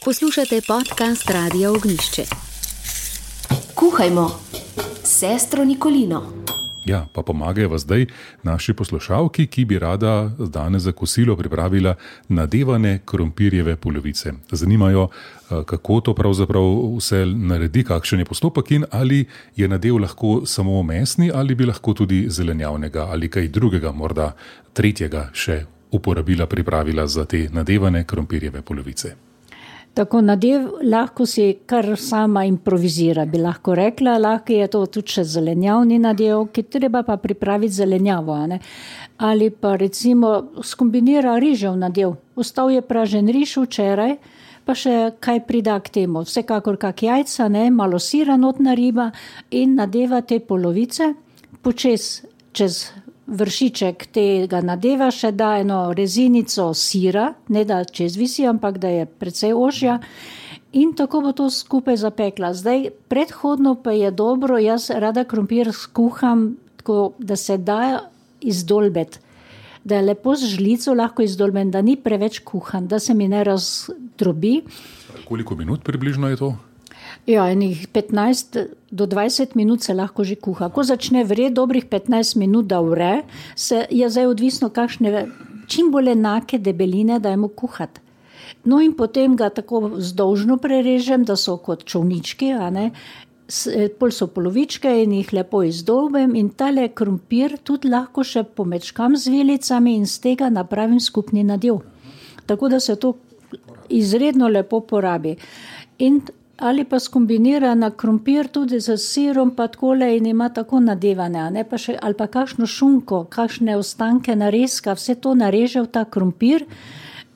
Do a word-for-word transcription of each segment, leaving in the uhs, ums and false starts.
Poslušate podcast Radia Ognjišče. Kuhajmo, sestro Nikolino. Ja, pa pomagajo vas zdaj naši poslušalki, ki bi rada danes za kosilo pripravila nadevane krompirjeve polovice. Zanimajo, kako to pravzaprav vse naredi, kakšen je postopek in ali je nadev lahko samo mesni ali bi lahko tudi zelenjavnega ali kaj drugega, morda tretjega še uporabila, pripravila za te nadevane krompirjeve polovice. Tako nadev lahko si kar sama improvizira, bi lahko rekla, lahko je to tudi še zelenjavni nadev, ki treba pa pripraviti zelenjavo, ne? Ali pa recimo skombinira rižev nadev. Ostal je pražen riž včeraj, pa še kaj prida k temu. Vsekakor kak jajca, ne? Malo sira not nariba in nadeva te polovice, počez čez vršiček tega nadeva še da eno rezinico sira, ne da čez visi, ampak da je precej ožja in tako bo to skupaj zapekla. Zdaj, predhodno pa je dobro, jaz rada krompir skuham tako, da se da izdolbeti, da je lepo z žlico lahko izdolben, da ni preveč kuhan, da se mi ne razdrobi. Koliko minut približno je to? Ja, enih petnajst do dvajset minut se lahko že kuha. Ko začne vreti dobrih petnajst minut, da vre, se je zdaj odvisno kakšne, čim bolj enake debeline dajmo kuhati. No in potem ga tako vzdolžno prerežem, da so kot čovnički, a ne, pol so polovičke in jih lepo izdolbem in tale krompir tudi lahko še pomečkam z vilicami in z tega napravim skupni nadev. Tako da se to izredno lepo porabi. In ali pa skombinira na krompir tudi z sirom pa takole in ima tako nadevane, ne, pa še, ali pa kakšno šunko, kakšne ostanke narezka, vse to nareže v ta krompir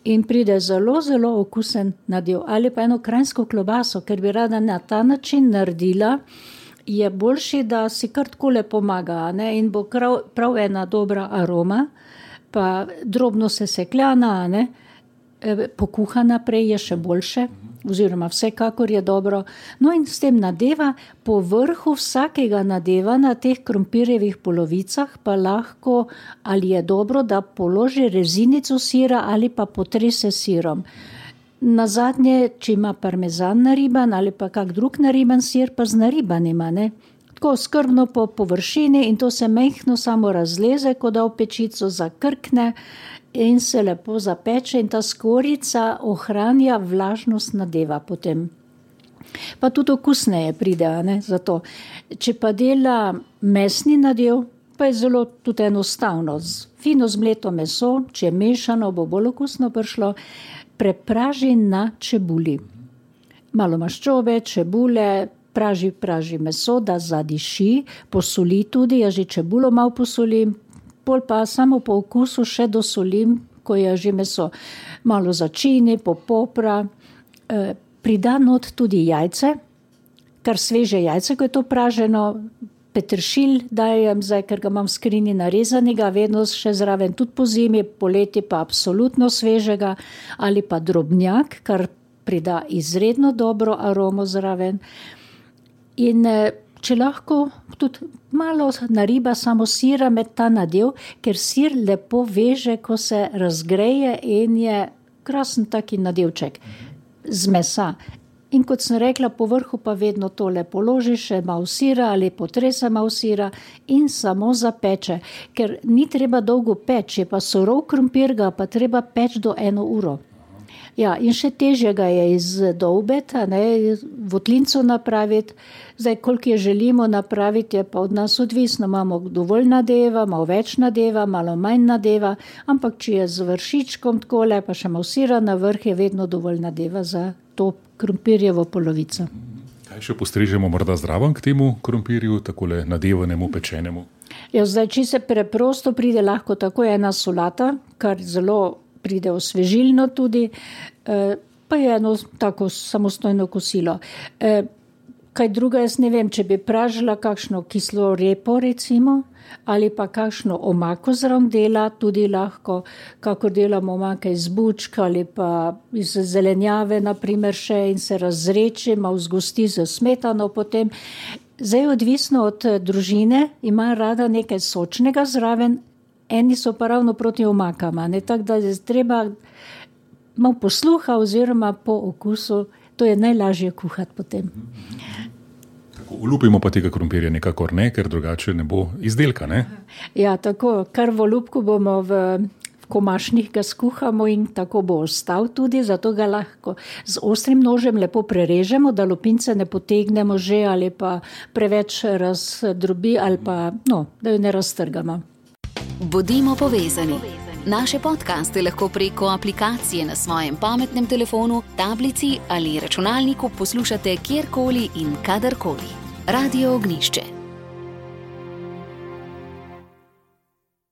in pride zelo, zelo okusen nadev. Ali pa eno kranjsko klobaso, ker bi rada na ta način naredila, je boljši, da si kar takole pomaga, ne, in bo prav, prav ena dobra aroma, pa drobno sesekljana, ne, pokuhana prej je še boljše, oziroma vsekakor je dobro. No in s tem nadeva, po vrhu vsakega nadeva na teh krompirjevih polovicah pa lahko, ali je dobro, da položi rezinico sira ali pa potrese sirom. Nazadnje, če ima parmezan nariban ali pa kak drug nariban sir, pa z naribanima, ne. Tako skrbno po površini in to se mehko samo razleze, ko da v pečico zakrkne in se lepo zapeče in ta skorjica ohranja vlažnost nadeva potem. Pa tudi okusneje pride, ne, zato. Če pa dela mesni nadev, pa je zelo tudi enostavno. Fino zmleto meso, če je mešano, bo bolj okusno prišlo, prepraži na čebuli. Malo maščobe, čebule, praži, praži meso, da zadiši, posoli tudi, jaz že čebulo malo posolim, pol pa samo po okusu še dosolim, ko je že meso. Malo začini, popopra, e, prida not tudi jajce, kar sveže jajce, ko je to praženo, peteršilj dajem zdaj, ker ga imam v skrini narezanega, vedno še zraven tudi po zimi, poleti pa absolutno svežega, ali pa drobnjak, kar prida izredno dobro aromo zraven. In če lahko tudi malo nariba samo sira med ta nadev, ker sir lepo veže, ko se razgreje in je krasen taki nadevček z mesa. In kot sem rekla, po vrhu pa vedno tole položi še malo sira ali potrese malo sira in samo zapeče, ker ni treba dolgo peči, pa surov krompir ga pa treba peči do eno uro. Ja, in še težje ga je izdolbeti, ne, votlinco napraviti. Zdaj, koliko je želimo napraviti, je pa od nas odvisno. Imamo dovolj nadeva, malo več nadeva, malo manj nadeva, ampak če je z vršičkom takole, pa še malo sira na vrh, je vedno dovolj nadeva za to krompirjevo polovico. Kaj še postrežemo morda zraven k temu krompirju, takole nadevanemu, pečenemu? Ja, zdaj, če se preprosto pride lahko tako ena solata, kar zelo pride osvežilno tudi, pa je eno tako samostojno kosilo. Kaj druga, jaz ne vem, če bi pražila kakšno kislo repo recimo, ali pa kakšno omako zraven dela, tudi lahko, kakor delamo omake iz bučka ali pa iz zelenjave, naprimer še in se razreči, malo zgosti z smetano potem. Zdaj odvisno od družine, ima rada nekaj sočnega zraven, eni so pa ravno proti omakama, ne, tako da je treba malo posluha oziroma po okusu, to je najlažje kuhati potem. Olupimo pa tega krompirja nekakor ne, ker drugače ne bo izdelka, ne? Ja, tako, kar v olupku bomo v, v komašnih ga skuhamo in tako bo ostal tudi, zato ga lahko z ostrim nožem lepo prerežemo, da lupince ne potegnemo že ali pa preveč razdrobi ali pa, no, da jo ne raztrgamo. Bodimo povezani. Naše podcaste lahko preko aplikacije na svojem pametnem telefonu, tablici ali računalniku poslušate kjerkoli in kadarkoli. Radio Ognjišče.